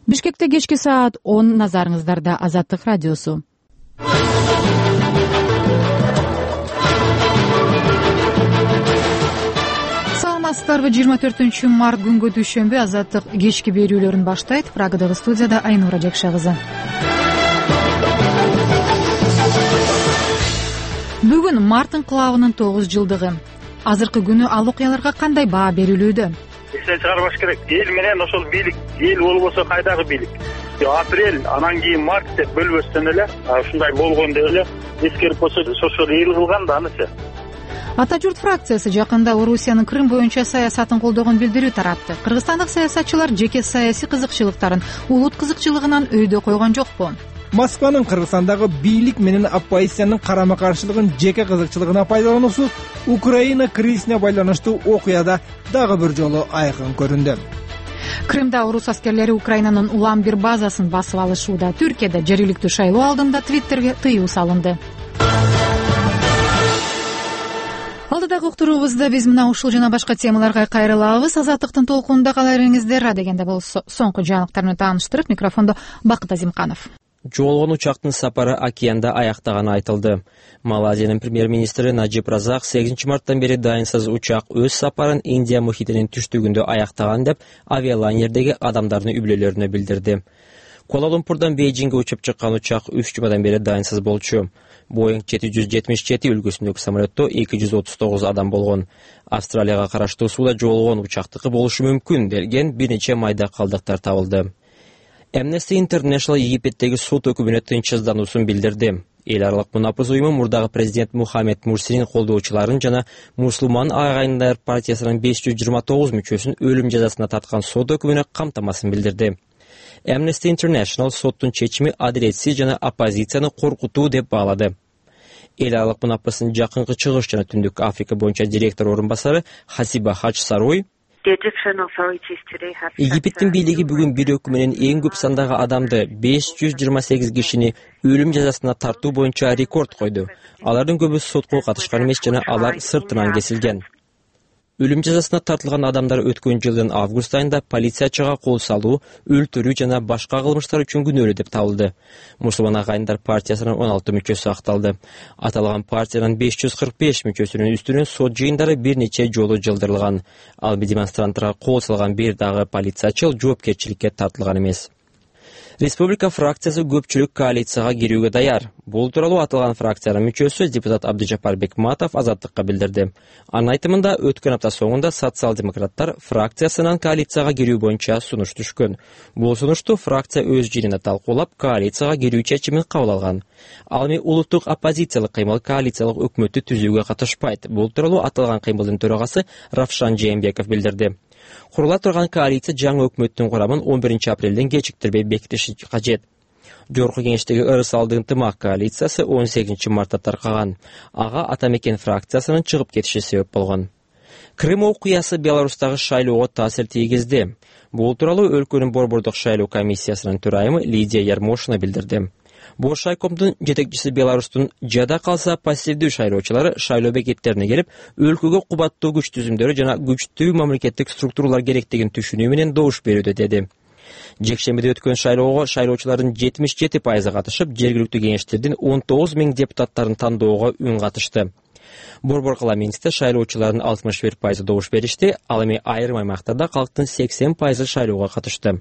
Бишкекте кечки саат 10, назарыңыздарда Азаттык радиосу. Саламатсыздарбы? 24-март күнгө дүйшөмбү Азаттык кечки берүүлөрүн баштайт. Прагадагы студияда Айнура Жакша кызы. Бүгүн март инкылабынын 9 жылдыгы. Азыркы күнү ал окуяларга кандай баа берилүүдө? Эстен чыгарбаш керек. Эл менен ошол бийлик, эл болбосо кайдагы бийлик? Апрель, анан кийин март деп бөлбөстөн эле, ушундай болгон деп эле эскерип койсо, ошол эл кылган да анысы. Ата журт фракциясы жакында Орусиянын Крым боюнча саясатын колдогон билдирүү таратты. Кыргызстандык саясатчылар жеке саясий кызыкчылыктарын улут кызыкчылыгынан өйдө койгон жокпу? Москванын Кыргызстандагы бийлик менен оппозициянын карама-каршылыгын жеке кызыкчылыгына пайдалануусу Украина кризисине байланыштуу окуяда дагы бир жолу айкын көрүндү. Крымда орус аскерлери Украинанын улам бир базасын басып алышууда. Түркияда жергиликтүү шайлоо алдында Твиттерге тыюу салынды. Алдыдагы уктуруубузда биз мына ушул жана башка темаларга кайрылабыз. Азаттыктын толкунунда кала бериңиздер. Адегенде болсо соңку жаңылыктар менен тааныштырып, микрофондо Бакыт Азимканов. Жоолгон учактын сапары океанда аяктаганы айтылды. Малайзиянын премьер-министри Наджиб Разак 8 марттан бери дайынсыз учак өз сапарын Индия мухитинин түштүгүндө аяктаган деп авиалайнердеги адамдардын үбөлөлөрүнө билдирди. Куала-Лумпурдан Бейжиңге учуп чыккан учак 3 жумадан бери дайынсыз болчу. Boeing 777 үлгүсүндөгү самолетто 239 адам болгон. Австралияга караштуу сууда жоолгон учактыкы болушу мүмкүн делген бир нече майда калдыктар табылды. Amnesty International Египеттеги сот өкүмүнө тынчсыздануусун билдирди. Эл аралык мунапыз уюму мурдагы президент Мухаммед Мурсинин колдоочуларын жана Мусулман агайындар партиясынын 529 мүчөсүн өлүм жазасына тарткан сот өкүмүнө камтамасын билдирди. Amnesty International соттун чечими адилетсиз жана оппозицияны коркутуу деп баалады. Эл аралык мунапыздын жакынкы чыгыш жана түндүк Африка боюнча директор орун басары Хасиба Хач Саруй Египеттин бийлиги бүгүн бир өкүм менен эң көп сандагы адамды 528 кишини өлүм жазасына тартуу боюнча рекорд койду. Алардын көбү сотко катышкан эмес жана алар сыртынан кесилген. Өлүм жазасына тартылган адамдар өткөн жылдын август айында полициячыга кол салуу, өлтүрүү жана башка кылмыштар үчүн күнөөлүү деп табылды. Мусулман агайындар партиясынын 16 мүчөсү акталды. Аталган партиянын 545 мүчөсүнүн үстүнөн сот жыйындары бир нече жолу жылдырылган. Ал демонстранттарга кол салган бир дагы полициячыл жоопкерчиликке тартылган эмес. Республика фракциясы көпчүлүк коалицияга кирүүгө даяр. Бул тууралуу аталган фракциянын мүчөсү депутат Абдыжапар Бекматов Азаттыкка билдирди. Анын айтымында өткөн апта соңунда социал-демократтар фракциясынан коалицияга кирүү боюнча сунуш түшкөн. Бул сунушту фракция өз жыйынында талкуулап, коалицияга кирүү чечимин кабыл алган. Ал эми улуттук оппозициялык кыймыл коалициялык өкмөттү түзүүгө катышпайт. Бул тууралуу аталган кыймылдын төрагасы Равшан Жээнбеков билдирди. Курула турган коалиция жаңы өкмөттүн курамын 11 апрелден кечиктирбей бекитиши кажет. Жогорку кеңештеги ырыс-алды ынтымак коалициясы 18 мартта таркаган. Ага Ата Мекен фракциясынын чыгып кетиши себеп болгон. Крым окуясы Беларустагы шайлоого таасир тийгизди. Бул тууралуу өлкөнүн борбордук шайлоо комиссиясынын төрайымы Лидия Ярмошина билдирди. Бош шайкомдун жетекчиси Беларустун жада калса пассивдүү шайлоочулары шайлоо бекеттерине келип, өлкөгө кубаттуу күч түзүмдөрү жана күчтүү мамлекеттик структуралар керектигин түшүнүү менен добуш берүүдө деди. Жекшембиде өткөн шайлоого шайлоочулардын 77% катышып, жергиликтүү кеңештердин 19 000 депутаттарын тандоого үн катышты. Борбор парламентте шайлоочулардын 61% добуш беришти, ал эми айрым аймактарда калктын 80% шайлоого катышты.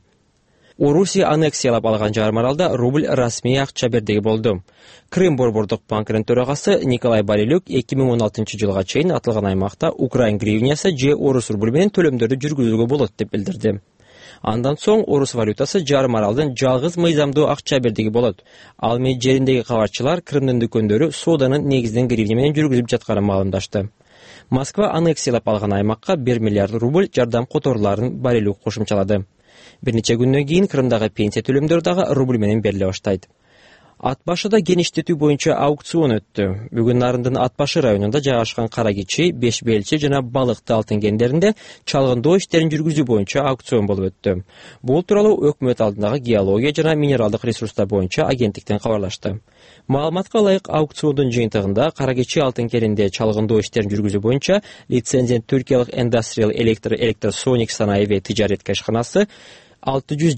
Орусия аннексиялап алган жарым аралда рубль расмий акча бердиги болду. Крым борбордук банкынын төрагасы Николай Барилюк 2016 жылга чейин аталган аймакта Украин гривнясы же орус рубль менен төлөмдөрдү жүргүзүүгө болот деп билдирди. Андан соң орус валютасы жарым аралдын жалгыз мыйзамдуу акча бердиги болот. Ал эми жериндеги кабарчылар Крымдын дүкөндөрү сооданын негизинен гривня менен жүргүзүп жатканын маалымдашты. Москва аннексиялап алган аймакка 1 миллиард рубль жардам которууларын Барилюк кошумчалады. Бир нече күндөн кийин Крымдагы пенсия төлөмдөрү дагы рубль менен бериле баштайт. Ат башыда геништетүү боюнча аукцион өттү. Бүгүн Нарындын Ат башы районунда жайгашкан Кара Кичи, Беш Белчи жана Балыкты алтын кендеринде чалгындоо иштерин жүргүзүү боюнча аукцион болуп өттү. Бул тууралуу өкмөт алдындагы геология жана минералдык ресурстар боюнча агенттиктен кабарлашты. Маалыматка ылайык аукциондун жыйынтыгында Кара Кичи алтын кенинде чалгындоо иштерин жүргүзүү боюнча лицензия Түркиялык Industrial Electrosonic санаиби тижарет кашканасы 600